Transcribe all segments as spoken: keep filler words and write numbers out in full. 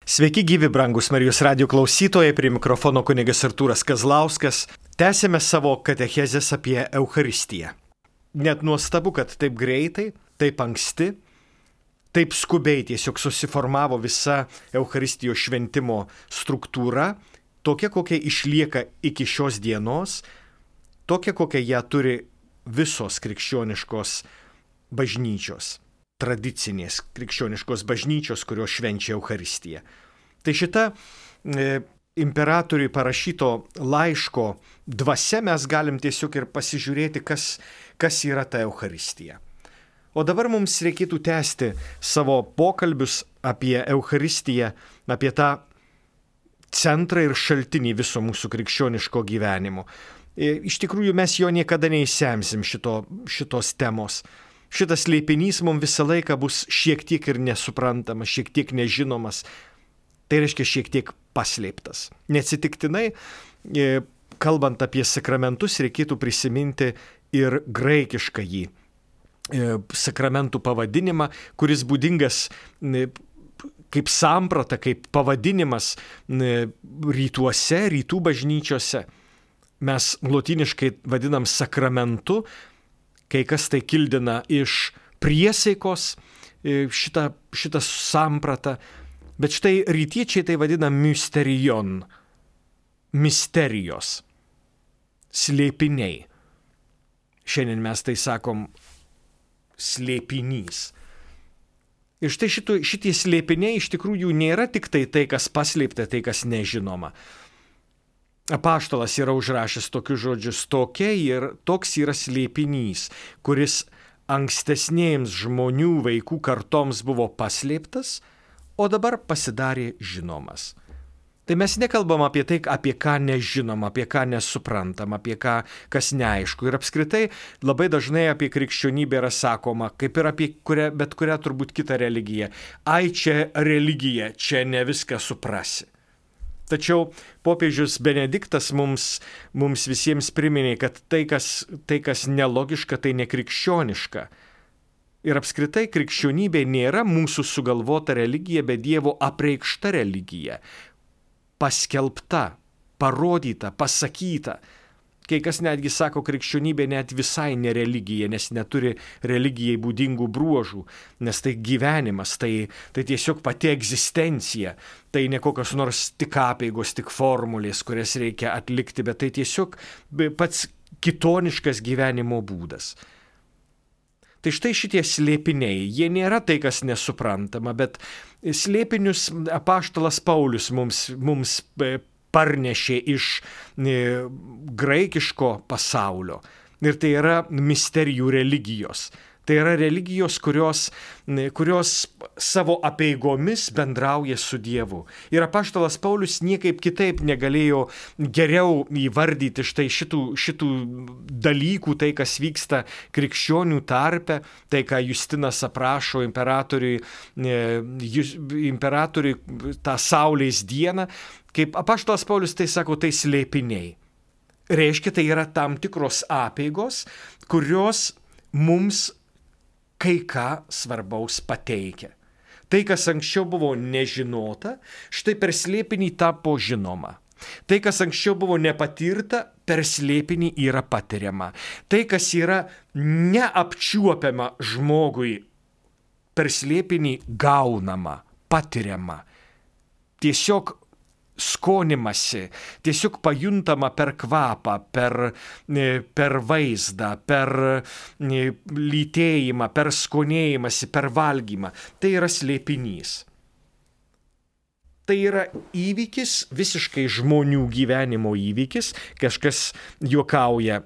Sveiki gyvi, brangus Marijos radijo klausytojai, prie mikrofono kunigas Artūras Kazlauskas. Tęsėme savo katechezės apie Eucharistiją. Net nuostabu, kad taip greitai, taip anksti, taip skubiai tiesiog susiformavo visa Eucharistijos šventimo struktūra, tokia, kokia išlieka iki šios dienos, tokia, kokia ją turi visos krikščioniškos bažnyčios. Tradicinės krikščioniškos bažnyčios, kurios švenčia Eucharistiją. Tai šita e, imperatoriui parašyto laiško dvasia mes galim tiesiog ir pasižiūrėti, kas, kas yra ta Eucharistija. O dabar mums reikėtų tęsti savo pokalbius apie Eucharistiją, apie tą centrą ir šaltinį viso mūsų krikščioniško gyvenimo. E, iš tikrųjų mes jo niekada neįsemsim šito, šitos temos. Šitas slėpinys mums visą laiką bus šiek tiek ir nesuprantamas, šiek tiek nežinomas, tai reiškia šiek tiek paslėptas. Neatsitiktinai, kalbant apie sakramentus, reikėtų prisiminti ir graikišką jį sakramentų pavadinimą, kuris būdingas kaip samprata, kaip pavadinimas rytuose, rytų bažnyčiose. Mes lotyniškai vadinam sakramentu, kai kas tai kildina iš priesaikos šitą, šitą sampratą, bet štai rytiečiai tai vadina mysterion, misterijos, slėpiniai. Šiandien mes tai sakom slėpinys. Ir štai šitų, šitie slėpiniai iš tikrųjų nėra tik tai tai, kas paslėpta, tai, kas nežinoma. Apaštalas yra užrašęs tokius žodžius, tokia ir toks yra slėpinys, kuris ankstesnėms žmonių vaikų kartoms buvo paslėptas, o dabar pasidarė žinomas. Tai mes nekalbam apie tai, apie ką nežinom, apie ką nesuprantam, apie ką, kas neaišku. Ir apskritai labai dažnai apie krikščionybę yra sakoma, kaip ir apie kurią, bet kurią turbūt kitą religiją. Ai, čia religija, čia ne viską suprasi. Tačiau popiežius Benediktas mums, mums visiems priminė, kad tai kas, tai, kas nelogiška, tai nekrikščioniška. Ir apskritai krikščionybė nėra mūsų sugalvota religija, bet Dievo apreikšta religija. Paskelbta, parodyta, pasakyta. Kai kas netgi sako, krikščionybė net visai ne religija, nes neturi religijai būdingų bruožų, nes tai gyvenimas, tai, tai tiesiog pati egzistencija, tai ne kokios nors tik apeigos, tik formulės, kurias reikia atlikti, bet tai tiesiog pats kitoniškas gyvenimo būdas. Tai štai šitie slėpiniai, jie nėra tai, kas nesuprantama, bet slėpinius apaštalas Paulius mums, mums parnešė iš graikiško pasaulio. Ir tai yra misterijų religijos. Tai yra religijos, kurios, kurios savo apeigomis bendrauja su Dievu. Ir apaštalas Paulius niekaip kitaip negalėjo geriau įvardyti štai šitų, šitų dalykų, tai kas vyksta krikščionių tarpe, tai ką Justinas aprašo imperatoriui, imperatoriui tą saulės dieną. Kaip apaštalas Paulius tai sako, tai slėpiniai. Reiškia, tai yra tam tikros apeigos, kurios mums kai ką svarbaus pateikia. Tai, kas anksčiau buvo nežinota, štai per slėpinį tapo žinoma. Tai, kas anksčiau buvo nepatirta, per slėpinį yra patiriama. Tai, kas yra neapčiuopiama žmogui, per slėpinį gaunama, patiriama. Tiesiog skonimasi, tiesiog pajuntama per kvapą, per, per vaizdą, per lytėjimą, per skonėjimąsi, per valgymą. Tai yra slėpinys. Tai yra įvykis, visiškai žmonių gyvenimo įvykis. Kažkas juokauja,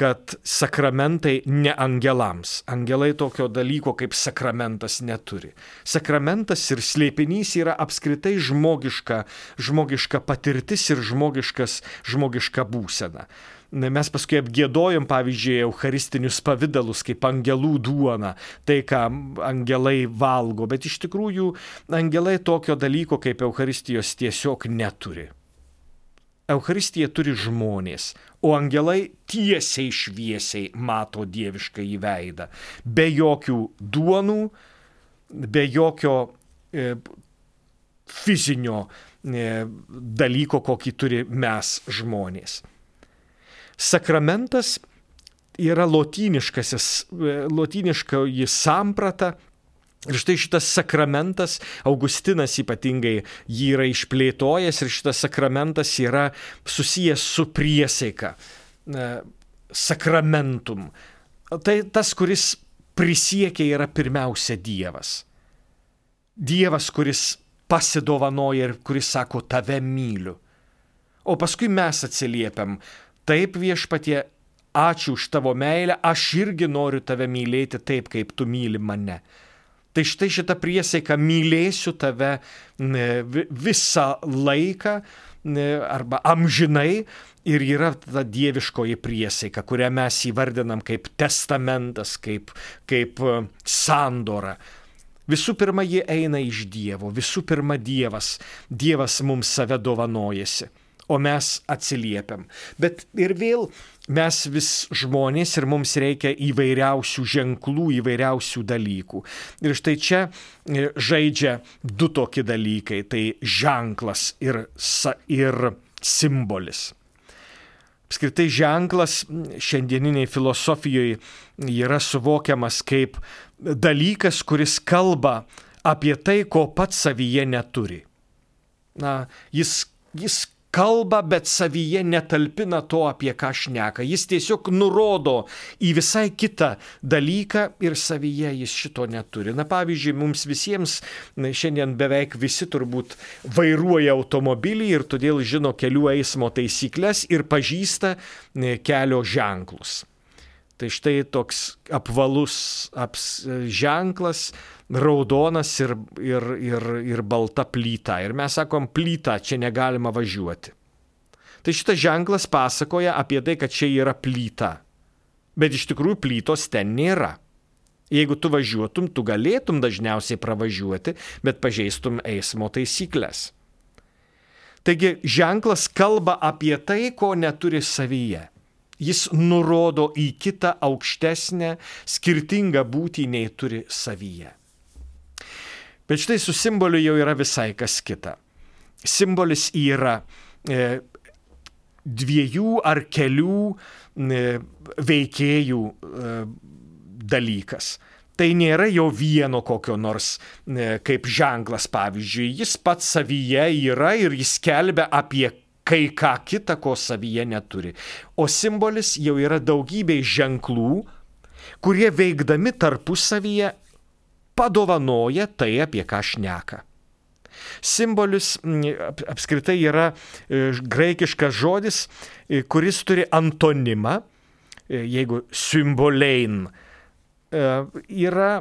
kad sakramentai ne angelams. Angelai tokio dalyko kaip sakramentas neturi. Sakramentas ir slėpinys yra apskritai žmogiška, žmogiška patirtis ir žmogiškas, žmogiška būsena. Mes paskui apgiedojom, pavyzdžiui, eucharistinius pavidalus, kaip angelų duona, tai, ką angelai valgo, bet iš tikrųjų angelai tokio dalyko kaip eucharistijos tiesiog neturi. Eucharistiją turi žmonės, o angelai tiesiai šviesiai mato dievišką į veidą, be jokių duonų, be jokio e, fizinio dalyko, kokį turi mes žmonės. Sakramentas yra lotyniškasis, lotyniškoji samprata. Ir štai šitas sakramentas, Augustinas ypatingai jį yra išplėtojęs, ir šitas sakramentas yra susijęs su priesaika, sakramentum. Tai tas, kuris prisiekia, yra pirmiausia Dievas. Dievas, kuris pasidovanoja ir kuris sako, tave myliu. O paskui mes atsiliepiam, taip viešpatie, ačiū už tavo meilę, aš irgi noriu tave mylėti taip, kaip tu myli mane. Tai štai šitą priesaiką mylėsiu tave visą laiką arba amžinai ir yra ta dieviškoji priesaika, kurią mes įvardinam kaip testamentas, kaip, kaip sandora. Visų pirma, ji eina iš Dievo, visų pirma Dievas, Dievas mums save dovanojasi, o mes atsiliepiam. Bet ir vėl mes vis žmonės ir mums reikia įvairiausių ženklų, įvairiausių dalykų. Ir štai čia žaidžia du tokie dalykai, tai ženklas ir, ir simbolis. Apskritai ženklas šiandieniniai filosofijoje yra suvokiamas kaip dalykas, kuris kalba apie tai, ko pats savyje neturi. Na, jis, jis kalba, bet savyje netalpina to, apie ką šneka. Jis tiesiog nurodo į visai kitą dalyką ir savyje jis šito neturi. Na, pavyzdžiui, mums visiems šiandien beveik visi turbūt vairuoja automobilį ir todėl žino kelių eismo taisyklės ir pažįsta kelio ženklus. Tai štai toks apvalus aps, ženklas, raudonas ir, ir, ir, ir balta plyta. Ir mes sakom, plyta, čia negalima važiuoti. Tai šitas ženklas pasakoja apie tai, kad čia yra plyta. Bet iš tikrųjų plytos ten nėra. Jeigu tu važiuotum, tu galėtum dažniausiai pravažiuoti, bet pažeistum eismo taisyklės. Taigi ženklas kalba apie tai, ko neturi savyje. Jis nurodo į kitą aukštesnę, skirtingą būtį nei turi savyje. Bet štai su simboliu jau yra visai kas kita. Simbolis yra e, dviejų ar kelių e, veikėjų e, dalykas. Tai nėra jau vieno kokio nors e, kaip ženklas, pavyzdžiui. Jis pats savyje yra ir jis skelbia apie kai ką kitą, ko savyje neturi. O simbolis jau yra daugybė ženklų, kurie veikdami tarpusavyje padovanoja tai, apie ką šneka. Simbolis apskritai yra graikiškas žodis, kuris turi antonimą, jeigu symbolein yra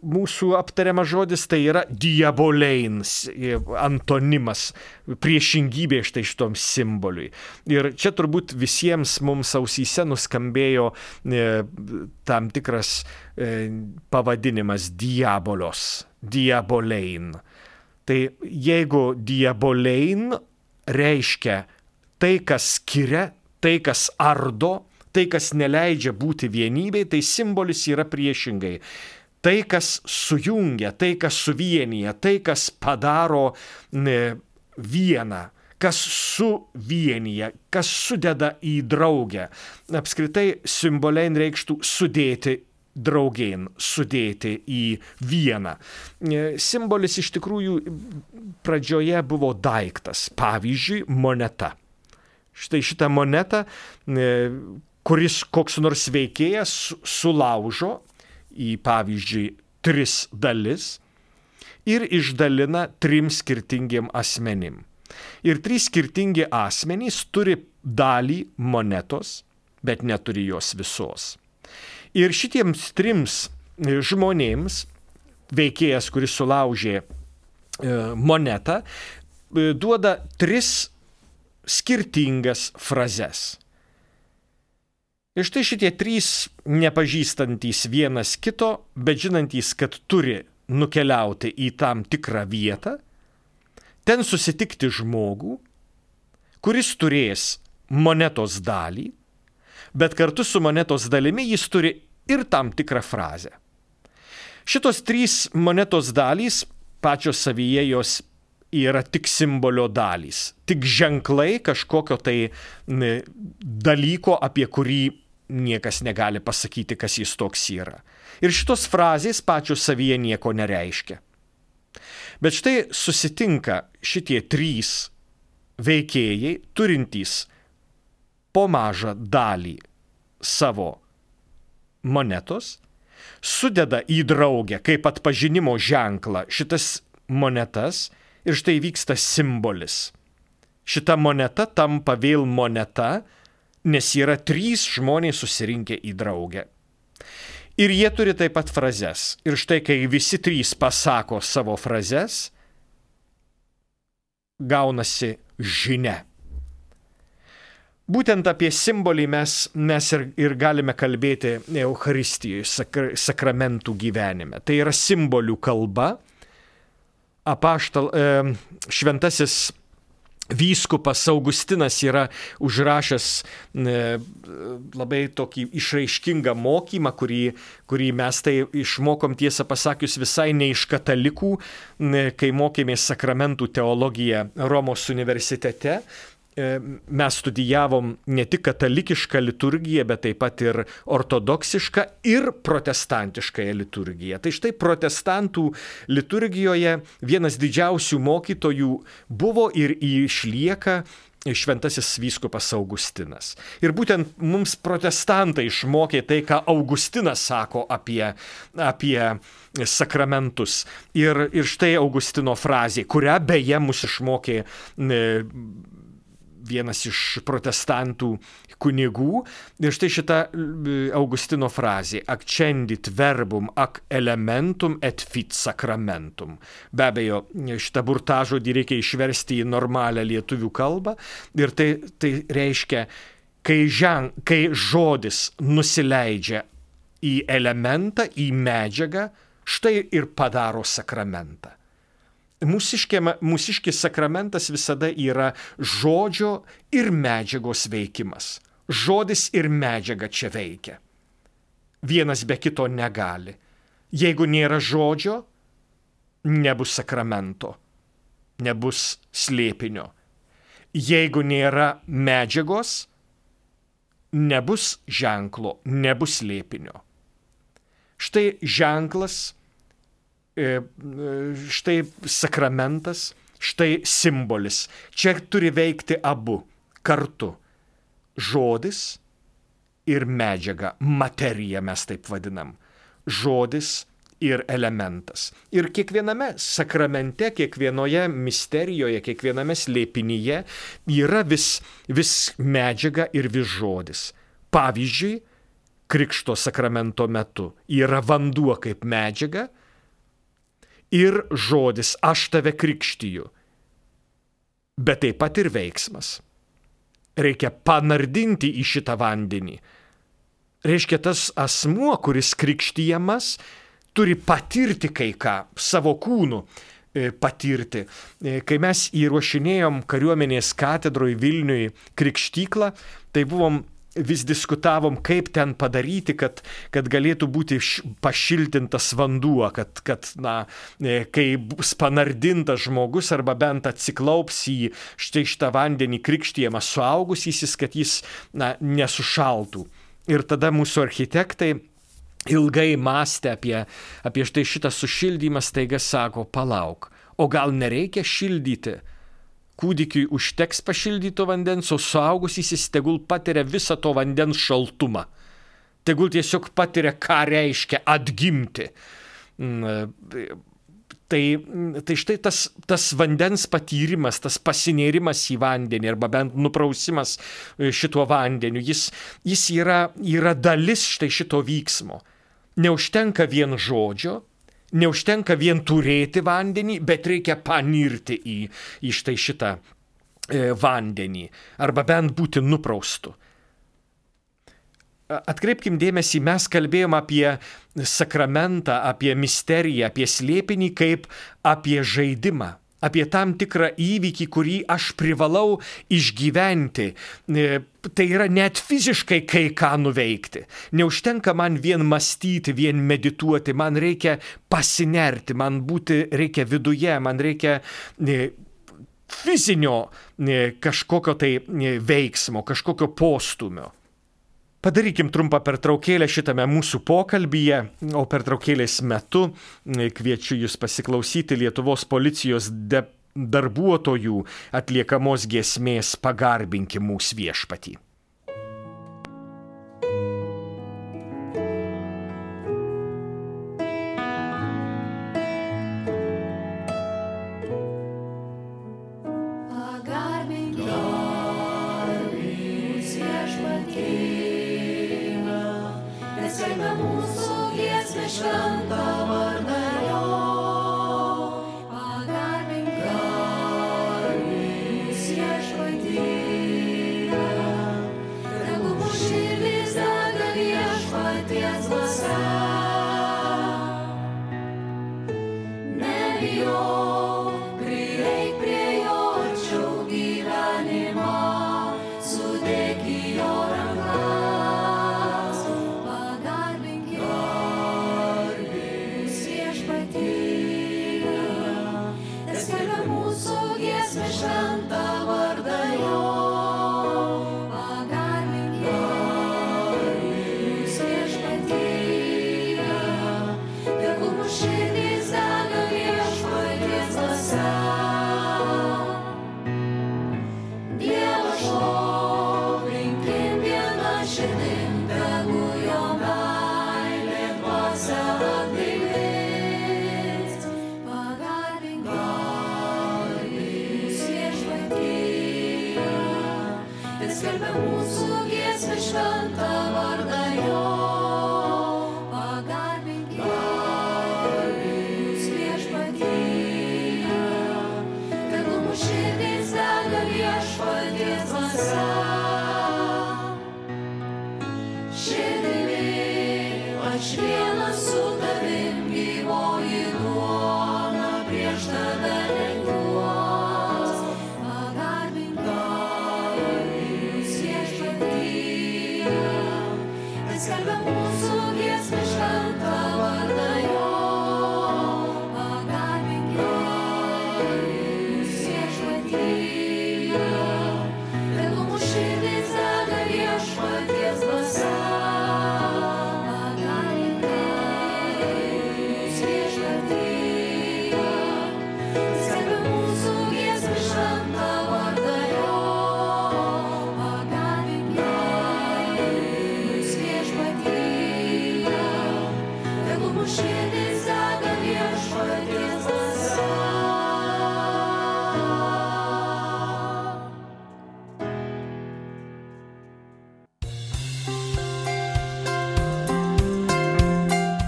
mūsų aptariamas žodis, tai yra diabolein, antonimas, priešingybė štai šitom simboliui. Ir čia turbūt visiems mums ausyse nuskambėjo e, tam tikras e, pavadinimas diabolos, diabolein. Tai jeigu diabolein reiškia tai, kas skiria, tai, kas ardo, tai, kas neleidžia būti vienybei, tai simbolis yra priešingai. Tai, kas sujungia, tai, kas suvienyje, tai, kas padaro vieną, kas suvienyje, kas sudeda į draugę. Apskritai simbolein reikštų sudėti draugėn, sudėti į vieną. Simbolis iš tikrųjų pradžioje buvo daiktas, pavyzdžiui, moneta. Štai šitą monetą, kuris koks nors veikėjas sulaužo į, pavyzdžiui, tris dalis ir išdalina trim skirtingiem asmenim. Ir trys skirtingi asmenys turi dalį monetos, bet neturi jos visos. Ir šitiems trims žmonėms veikėjas, kuris sulaužė monetą, duoda tris skirtingas frazes. Ir štai šitie trys nepažįstantys vienas kito, bet žinantys, kad turi nukeliauti į tam tikrą vietą, ten susitikti žmogų, kuris turės monetos dalį, bet kartu su monetos dalimi jis turi ir tam tikrą frazę. Šitos trys monetos dalys pačios savyje jos yra tik simbolio dalys, tik ženklai kažkokio tai dalyko, apie kurį niekas negali pasakyti, kas jis toks yra. Ir šitos frazės pačios savyje nieko nereiškia. Bet štai susitinka šitie trys veikėjai, turintys po mažą dalį savo monetos, sudeda į draugę kaip atpažinimo ženklą šitas monetas ir štai vyksta simbolis. Šita moneta tampa vėl moneta, nes yra trys žmonės susirinkę į draugę. Ir jie turi taip pat frazes. Ir štai, kai visi trys pasako savo frazes, gaunasi žinia. Būtent apie simbolį mes, mes ir, ir galime kalbėti Eucharistijoje, sakra, sakramentų gyvenime. Tai yra simbolių kalba. Apaštal, e, šventasis vyskupas Augustinas yra užrašęs e, labai tokį išraiškingą mokymą, kurį, kurį mes tai išmokom, tiesą pasakius, visai ne iš katalikų, e, kai mokėmės sakramentų teologiją Romos universitete. Mes studijavom ne tik katalikišką liturgiją, bet taip pat ir ortodoksišką ir protestantiškąją liturgiją. Tai štai protestantų liturgijoje vienas didžiausių mokytojų buvo ir išlieka šventasis vyskupas Augustinas. Ir būtent mums protestantai išmokė tai, ką Augustinas sako apie, apie sakramentus. Ir, ir štai Augustino frazė, kurią beje mus išmokė e, vienas iš protestantų kunigų. Ir štai šita Augustino frazė: accendit verbum ac elementum et fit sacramentum. Be abejo, šitą burtažodį reikia išversti į normalią lietuvių kalbą. Ir tai, tai reiškia, kai, žen, kai žodis nusileidžia į elementą, į medžiagą, štai ir padaro sakramentą. Mūsiškis sakramentas visada yra žodžio ir medžiagos veikimas. Žodis ir medžiaga čia veikia. Vienas be kito negali. Jeigu nėra žodžio, nebus sakramento, nebus slėpinio. Jeigu nėra medžiagos, nebus ženklo, nebus slėpinio. Štai ženklas, štai sakramentas, štai simbolis. Čia turi veikti abu kartu. Žodis ir medžiaga, materija mes taip vadinam. Žodis ir elementas. Ir kiekviename sakramente, kiekvienoje misterijoje, kiekviename slėpinyje yra vis, vis medžiaga ir vis žodis. Pavyzdžiui, krikšto sakramento metu yra vanduo kaip medžiaga, ir žodis aš tave krikštiju, bet taip pat ir veiksmas. Reikia panardinti į šitą vandenį. Reiškia, tas asmuo, kuris krikštijamas, turi patirti kai ką, savo kūnu patirti. Kai mes įruošinėjom kariuomenės katedroj Vilniui krikštyklą, tai buvom vis diskutavom, kaip ten padaryti, kad, kad galėtų būti pašiltintas vanduo, kad, kad na, kai bus panardintas žmogus arba bent atsiklaups į štai šitą vandenį krikštijamą suaugusysis, kad jis na, nesušaltų. Ir tada mūsų architektai ilgai mąstė apie, apie štai šitą sušildymą, staiga sako, palauk, o gal nereikia šildyti? Kūdikiui užteks pašildyto vandens, o suaugusysis tegul patiria visą to vandens šaltumą. Tegul tiesiog patiria, ką reiškia atgimti. Tai, tai štai tas, tas vandens patyrimas, tas pasinėrimas į vandenį arba bent nuprausimas šituo vandeniu, jis, jis yra, yra dalis štai šito vyksmo. Neužtenka vien žodžio, neužtenka vien turėti vandenį, bet reikia panirti į, į štai šitą e, vandenį, arba bent būti nupraustu. Atkreipkim dėmesį, mes kalbėjom apie sakramentą, apie misteriją, apie slėpinį kaip apie žaidimą, apie tam tikrą įvykį, kurį aš privalau išgyventi. Tai yra net fiziškai kai ką nuveikti. Neužtenka man vien mąstyti, vien medituoti, man reikia pasinerti, man būti reikia viduje, man reikia fizinio kažkokio tai veiksmo, kažkokio postumio. Padarykim trumpą pertraukėlę šitame mūsų pokalbyje, o pertraukėlės metu kviečiu jūs pasiklausyti Lietuvos policijos de- darbuotojų atliekamos giesmės Pagarbinkim mūsų viešpatį.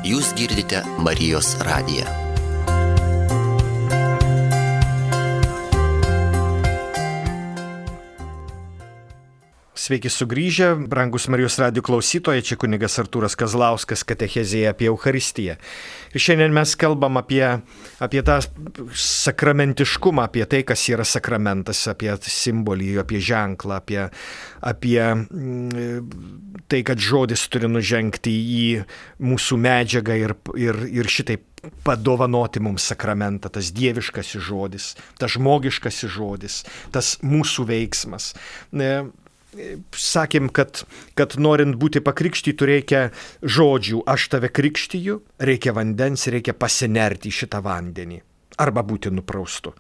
Jūs girdite Marijos radiją. Sveiki sugrįžę, brangus Marijos radijo klausytojai, čia kunigas Artūras Kazlauskas katechezėje apie Eucharistiją. Ir šiandien mes kalbam apie, apie tą sakramentiškumą, apie tai, kas yra sakramentas, apie simbolį, apie ženklą, apie, apie tai, kad žodis turi nužengti į mūsų medžiagą ir, ir, ir šitaip padovanoti mums sakramentą, tas dieviškasis žodis, tas žmogiškasis žodis, tas mūsų veiksmas. Sakėm, kad, kad norint būti pakrikštytu reikia žodžių, aš tave krikštiju, reikia vandens, reikia pasinerti į šitą vandenį arba būti nupraustu.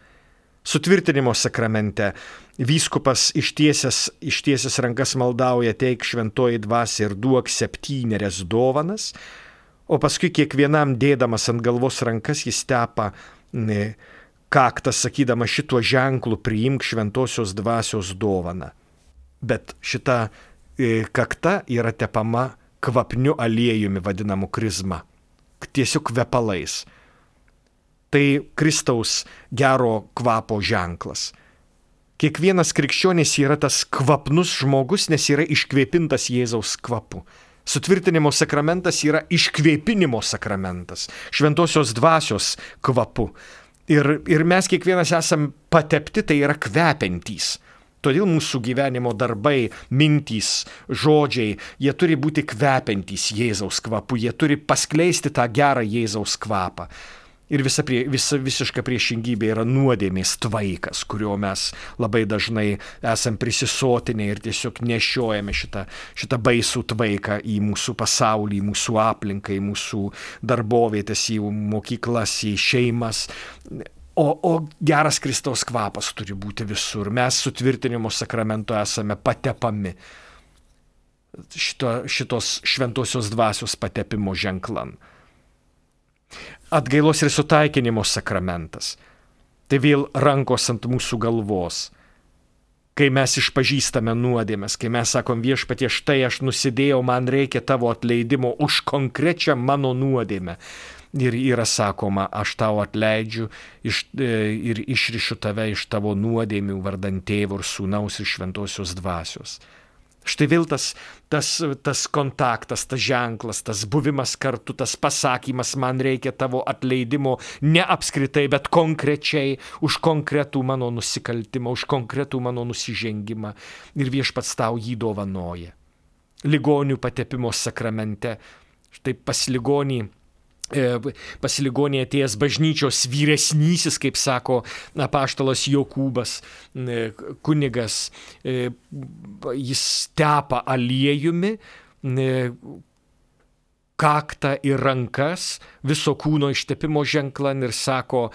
Sutvirtinimo sakramente vyskupas ištiesęs, ištiesęs rankas maldauja, teik šventoji dvasia ir duok septynerias dovanas, o paskui kiekvienam dėdamas ant galvos rankas jis tepa ne, kaktą, sakydama šituo ženklu priimk šventosios dvasios dovaną. Bet šita e, kakta yra tepama kvapniu aliejumi vadinamu krizma, tiesiog kvepalais. Tai Kristaus gero kvapo ženklas. Kiekvienas krikščionis yra tas kvapnus žmogus, nes yra iškvėpintas Jėzaus kvapu. Sutvirtinimo sakramentas yra iškvėpinimo sakramentas, šventosios dvasios kvapu. Ir, ir mes kiekvienas esam patepti, tai yra kvepiantys. Todėl mūsų gyvenimo darbai, mintys, žodžiai, jie turi būti kvepiantys Jėzaus kvapu, jie turi paskleisti tą gerą Jėzaus kvapą. Ir visa, prie, visa visiška priešingybė yra nuodėmės tvaikas, kurio mes labai dažnai esam prisisotinę ir tiesiog nešiojame šitą, šitą baisų tvaiką į mūsų pasaulį, į mūsų aplinką, į mūsų darbovietės, į mokyklas, į šeimas. O, o geras Kristaus kvapas turi būti visur. Mes sutvirtinimo sakramento esame patepami šito, šitos šventosios dvasios patepimo ženklan. Atgailos ir sutaikinimo sakramentas. Tai vėl rankos ant mūsų galvos. Kai mes išpažįstame nuodėmes, kai mes sakom viešpatie, štai aš nusidėjau, man reikia tavo atleidimo už konkrečią mano nuodėmę. Ir yra sakoma, aš tau atleidžiu iš, ir išrišu tave iš tavo nuodėmių vardan Tėvo ir Sūnaus ir Šventosios dvasios. Štai vėl tas, tas, tas kontaktas, tas ženklas, tas buvimas kartu, tas pasakymas, man reikia tavo atleidimo ne apskritai, bet konkrečiai už konkretų mano nusikaltimą, už konkretų mano nusižengimą. Ir viešpats tau jį dovanoja. Ligonių patepimo sakramente, štai pas ligonį, pas ligonį atėjęs bažnyčios vyresnysis, kaip sako apaštalas Jokūbas, kunigas, jis tepa aliejumi kaktą ir rankas viso kūno ištepimo ženklan ir sako,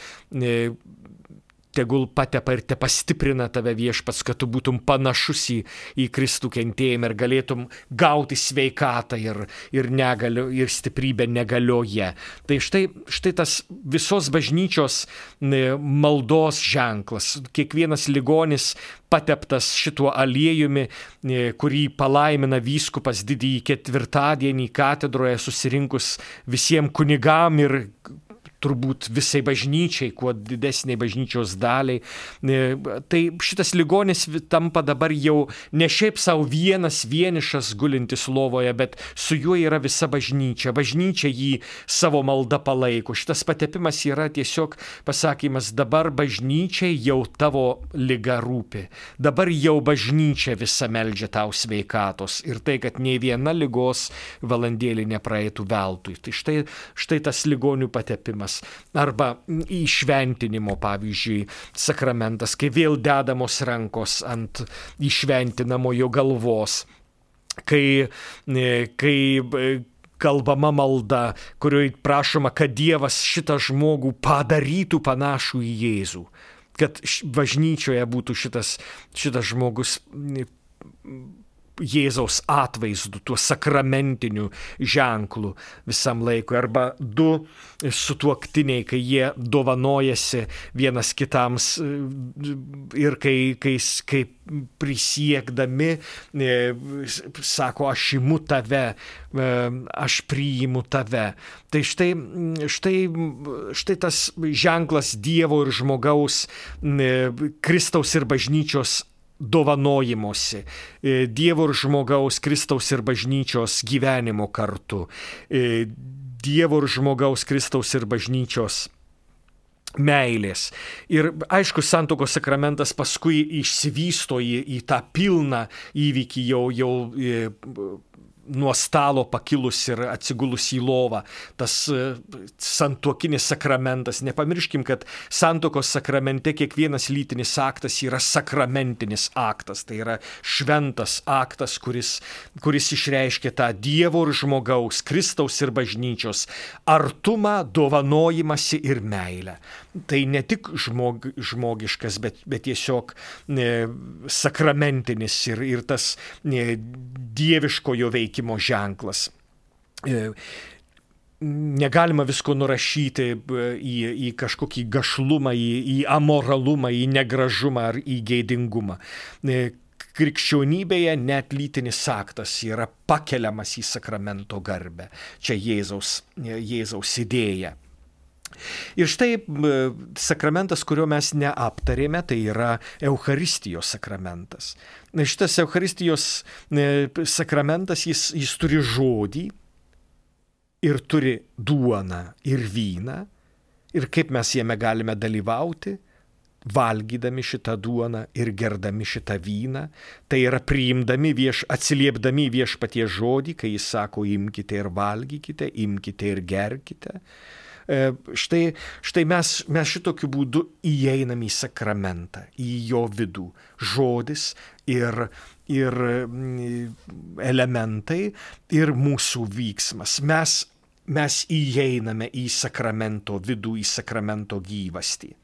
tegul patepa ir te pastiprina tave viešpats, kad tu būtum panašus į, į Kristų kentėjimą ir galėtum gauti sveikatą ir, ir, negalio, ir stiprybę negalioje. Tai štai, štai tas visos bažnyčios maldos ženklas. Kiekvienas ligonis pateptas šituo aliejumi, kurį palaimina vyskupas didįjį ketvirtadienį katedroje susirinkus visiems kunigam ir turbūt visai bažnyčiai, kuo didesniai bažnyčios daliai. Tai šitas ligonis tampa dabar jau ne šiaip savo vienas vienišas gulintis lovoje, bet su juo yra visa bažnyčia. Bažnyčia jį savo malda palaiko. Šitas patepimas yra tiesiog pasakymas, dabar bažnyčiai jau tavo liga rūpi. Dabar jau bažnyčia visa meldžia tau sveikatos. Ir tai, kad nei viena ligos valandėlį nepraeitų veltui. Tai štai, štai tas ligonių patepimas. Arba įšventinimo, pavyzdžiui, sakramentas, kai vėl dedamos rankos ant įšventinamojo galvos, kai, kai kalbama malda, kurioje prašoma, kad Dievas šitą žmogų padarytų panašų į Jėzų, kad bažnyčioje būtų šitas, šitas žmogus Jėzaus atvaizdu, tuo sakramentiniu ženklu visam laikui. Arba du sutuoktiniai, kai jie dovanojasi vienas kitams ir kai, kai, kai prisiekdami sako, aš imu tave, aš priimu tave. Tai štai, štai, štai tas ženklas Dievo ir žmogaus, Kristaus ir bažnyčios dovanojimuose, Dievo ir žmogaus, Kristaus ir bažnyčios gyvenimo kartu, Dievo ir žmogaus, Kristaus ir bažnyčios meilės. Ir aišku, santuokos sakramentas paskui išsivysto į, į tą pilną įvykį jau, jau nuo stalo pakilus ir atsigulus į lovą, tas santuokinis sakramentas. Nepamirškim, kad santuokos sakramente kiekvienas lytinis aktas yra sakramentinis aktas. Tai yra šventas aktas, kuris, kuris išreiškia tą Dievo ir žmogaus, Kristaus ir bažnyčios artumą, dovanojimąsi ir meilę. Tai ne tik žmog, žmogiškas, bet, bet tiesiog ne, sakramentinis ir, ir tas ne, dieviškojo veikimo ženklas. Negalima visko nurašyti į, į kažkokį gašlumą, į, į amoralumą, į negražumą ar į gėdingumą. Krikščionybėje net lytinis aktas yra pakeliamas į sakramento garbę. Čia Jėzaus, Jėzaus idėja. Ir štai sakramentas, kurio mes neaptarėme, tai yra Eucharistijos sakramentas. Šitas Eucharistijos sakramentas, jis, jis turi žodį ir turi duoną ir vyną Ir kaip mes jame galime dalyvauti? Valgydami šitą duoną ir gerdami šitą vyną, tai yra priimdami, vieš, atsiliepdami viešpaties žodį, kai jis sako, imkite ir valgykite, imkite ir gerkite. E, štai štai mes, mes šitokiu būdu įeiname į sakramentą, į jo vidų. Žodis ir, ir elementai ir mūsų vyksmas. Mes, mes įeiname į sakramento vidų, į sakramento gyvastį.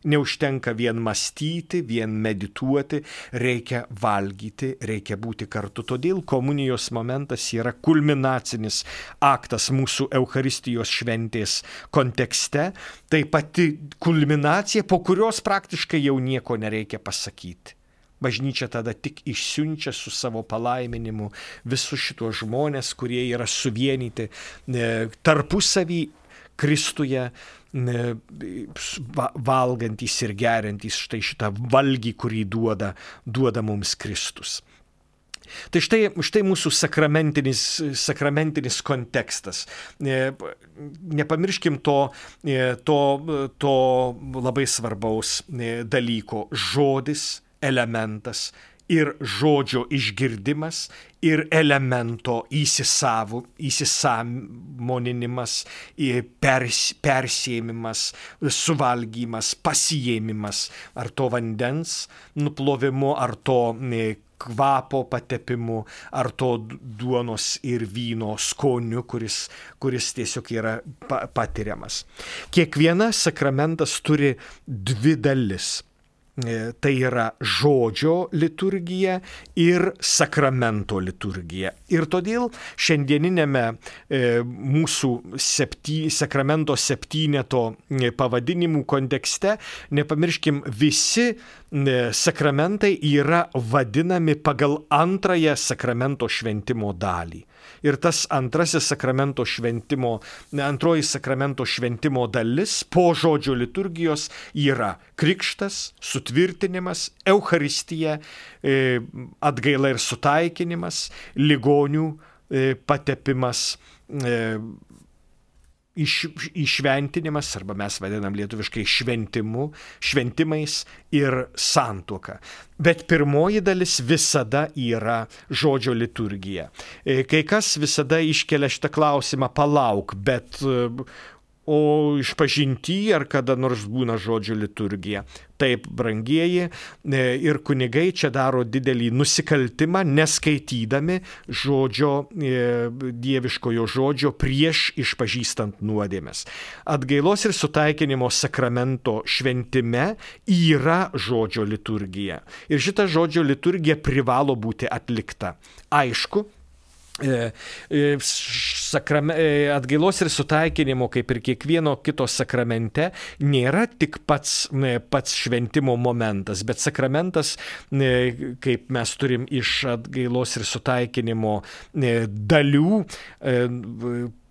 Neužtenka vien mąstyti, vien medituoti, reikia valgyti, reikia būti kartu. Todėl komunijos momentas yra kulminacinis aktas mūsų Eucharistijos šventės kontekste. Tai pati kulminacija, po kurios praktiškai jau nieko nereikia pasakyti. Bažnyčia tada tik išsiunčia su savo palaiminimu visus šitos žmonės, kurie yra suvienyti tarpusavį Kristuje, valgantys ir geriantys štai šitą valgį, kurį duoda, duoda mums Kristus. Tai štai, štai mūsų sakramentinis, sakramentinis kontekstas. Nepamirškim to, to, to labai svarbaus dalyko. Žodis, elementas ir žodžio išgirdimas ir elemento įsisavu, įsisamoninimas, pers, persėmimas, suvalgymas, pasijėmimas, ar to vandens nuplovimu, ar to kvapo patepimu, ar to duonos ir vyno skoniu, kuris, kuris tiesiog yra patiriamas. Kiekvienas sakramentas turi dvi dalis. Tai yra žodžio liturgija ir sakramento liturgija. Ir todėl šiandieninėme e, mūsų septy, sakramento septyneto pavadinimų kontekste, nepamirškim, visi e, sakramentai yra vadinami pagal antrąją sakramento šventimo dalį. Ir tas antrasis sakramento šventimo, antroji sakramento šventimo dalis po žodžio liturgijos yra krikštas, sutvirtinimas, Eucharistija, atgaila ir sutaikinimas, ligonių patepimas, iš, išventinimas, arba mes vadinam lietuviškai šventimu, šventimais ir santuoka. Bet pirmoji dalis visada yra žodžio liturgija. Kai kas visada iškelia šitą klausimą, palauk, bet o išpažinty ar kada nors būna žodžio liturgija. Taip, brangieji, ir kunigai čia daro didelį nusikaltimą, neskaitydami žodžio, dieviškojo žodžio prieš išpažįstant nuodėmes. Atgailos ir sutaikinimo sakramento šventime yra žodžio liturgija. Ir šita žodžio liturgija privalo būti atlikta. Aišku, Sakrame, atgailos ir sutaikinimo, kaip ir kiekvieno kito sakramente, nėra tik pats, pats šventimo momentas, bet sakramentas, kaip mes turim iš atgailos ir sutaikinimo dalių,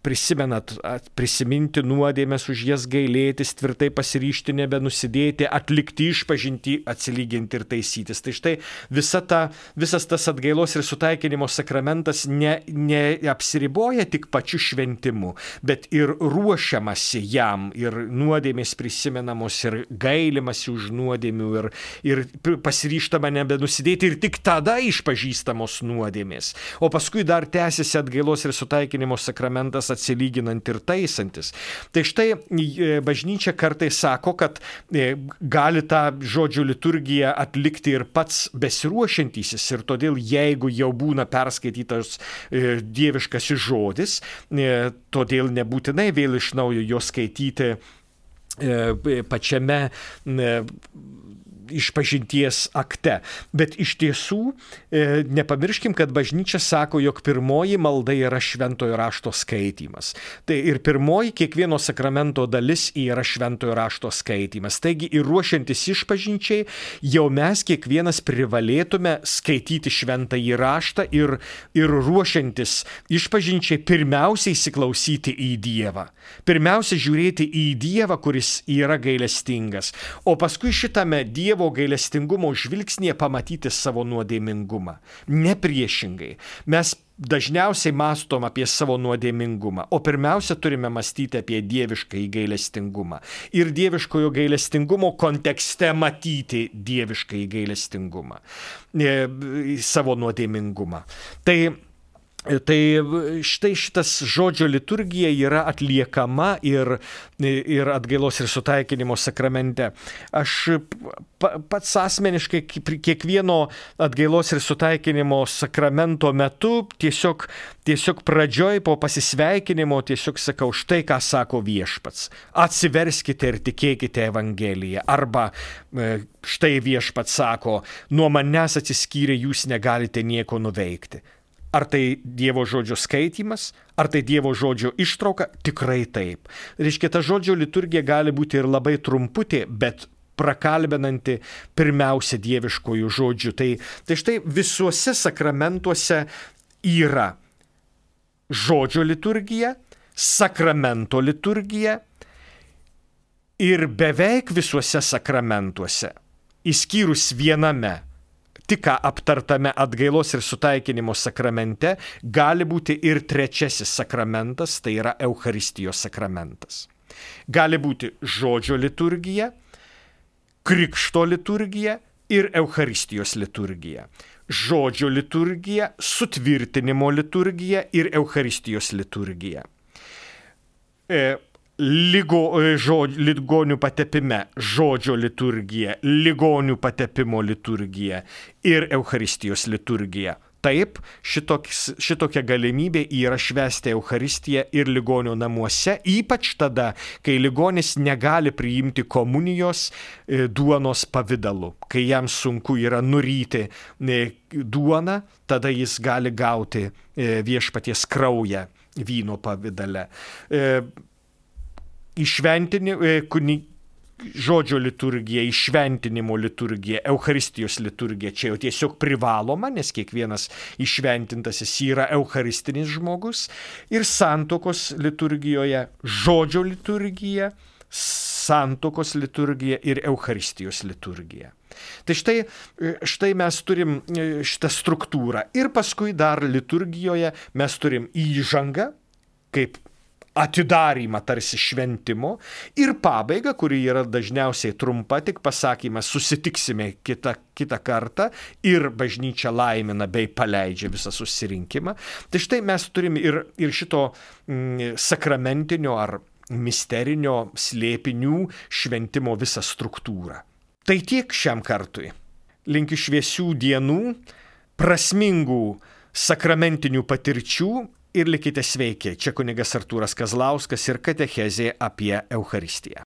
prisimenat, prisiminti nuodėmes, už jas gailėtis, tvirtai pasiryžti nebenusidėti, atlikti išpažinti, atsilyginti ir taisytis. Tai štai visa ta, visas tas atgailos ir sutaikinimo sakramentas neapsiriboja ne tik pačiu šventimu, bet ir ruošiamasi jam, ir nuodėmės prisimenamos, ir gailimasi už nuodėmių, ir, ir pasiryžtama nebenusidėti, ir tik tada išpažįstamos nuodėmės. O paskui dar tęsiasi atgailos ir sutaikinimo sakramentas atsilyginant ir taisantis. Tai štai bažnyčia kartais sako, kad gali tą žodžio liturgiją atlikti ir pats besiruošiantysis, ir todėl jeigu jau būna perskaitytas dieviškasis žodis, todėl nebūtinai vėl iš naujo jo skaityti pačiame išpažinties akte. Bet iš tiesų e, nepamirškim, kad bažnyčia sako, jog pirmoji malda yra šventojo rašto skaitymas. Tai ir pirmoji kiekvieno sakramento dalis yra šventojo rašto skaitymas. Taigi ir ruošiantis išpažinčiai, jau mes kiekvienas privalėtume skaityti šventąjį raštą ir, ir ruošiantis išpažinčiai pirmiausiai įsiklausyti į Dievą. Pirmiausia žiūrėti į Dievą, kuris yra gailestingas. O paskui šitame Dievo Dievo gailestingumo žvilgsnėje pamatyti savo nuodėmingumą. Ne priešingai. Mes dažniausiai mąstom apie savo nuodėmingumą, o pirmiausia turime mąstyti apie dieviškąjį gailestingumą. Ir dieviškojo gailestingumo kontekste matyti dieviškąjį gailestingumą, savo nuodėmingumą. Tai Tai štai šitas žodžio liturgija yra atliekama ir, ir atgailos ir sutaikinimo sakramente. Aš pats asmeniškai kiekvieno atgailos ir sutaikinimo sakramento metu tiesiog, tiesiog pradžioj po pasisveikinimo tiesiog sakau, štai ką sako Viešpats. Atsiverskite ir tikėkite Evangeliją. Arba štai Viešpats sako, nuo manęs atsiskyrę jūs negalite nieko nuveikti. Ar tai Dievo žodžio skaitymas, ar tai Dievo žodžio ištrauka? Tikrai taip. Reiškia, ta žodžio liturgija gali būti ir labai trumputė, bet prakalbinanti pirmiausia dieviškojų žodžių. Tai, tai štai visuose sakramentuose yra žodžio liturgija, sakramento liturgija ir beveik visuose sakramentuose, išskyrus viename, tik ką aptartame atgailos ir sutaikinimo sakramente, gali būti ir trečiasis sakramentas, tai yra Eucharistijos sakramentas. Gali būti žodžio liturgija, krikšto liturgija ir Eucharistijos liturgija. Žodžio liturgija, sutvirtinimo liturgija ir Eucharistijos liturgija. E, Ligo, žod, ligonių patepime žodžio liturgija, ligonių patepimo liturgija ir Eucharistijos liturgija. Taip, šitoks, šitokia galimybė yra švęsti Eucharistiją ir ligonio namuose, ypač tada, kai ligonis negali priimti komunijos e, duonos pavidalu. Kai jam sunku yra nuryti e, duoną, tada jis gali gauti e, viešpaties kraują vyno pavidale. E, Įšventinimo, žodžio liturgija, įšventinimo liturgija, Eucharistijos liturgija, čia jau tiesiog privaloma, nes kiekvienas įšventintasis yra eucharistinis žmogus. Ir santuokos liturgijoje žodžio liturgija, santuokos liturgija ir Eucharistijos liturgija. Tai štai, štai mes turim šitą struktūrą. Ir paskui dar liturgijoje mes turim įžangą, kaip atidarymą tarsi šventimo ir pabaigą, kuri yra dažniausiai trumpa, tik pasakymas susitiksime kitą, kitą kartą ir bažnyčia laimina bei paleidžia visą susirinkimą. Tai štai mes turime ir, ir šito mm, sakramentinio ar misterinio slėpinių šventimo visą struktūrą. Tai tiek šiam kartui. Linkiu šviesių dienų, prasmingų sakramentinių patirčių ir likite sveiki. Čia kunigas Artūras Kazlauskas ir katechezė apie Eucharistiją.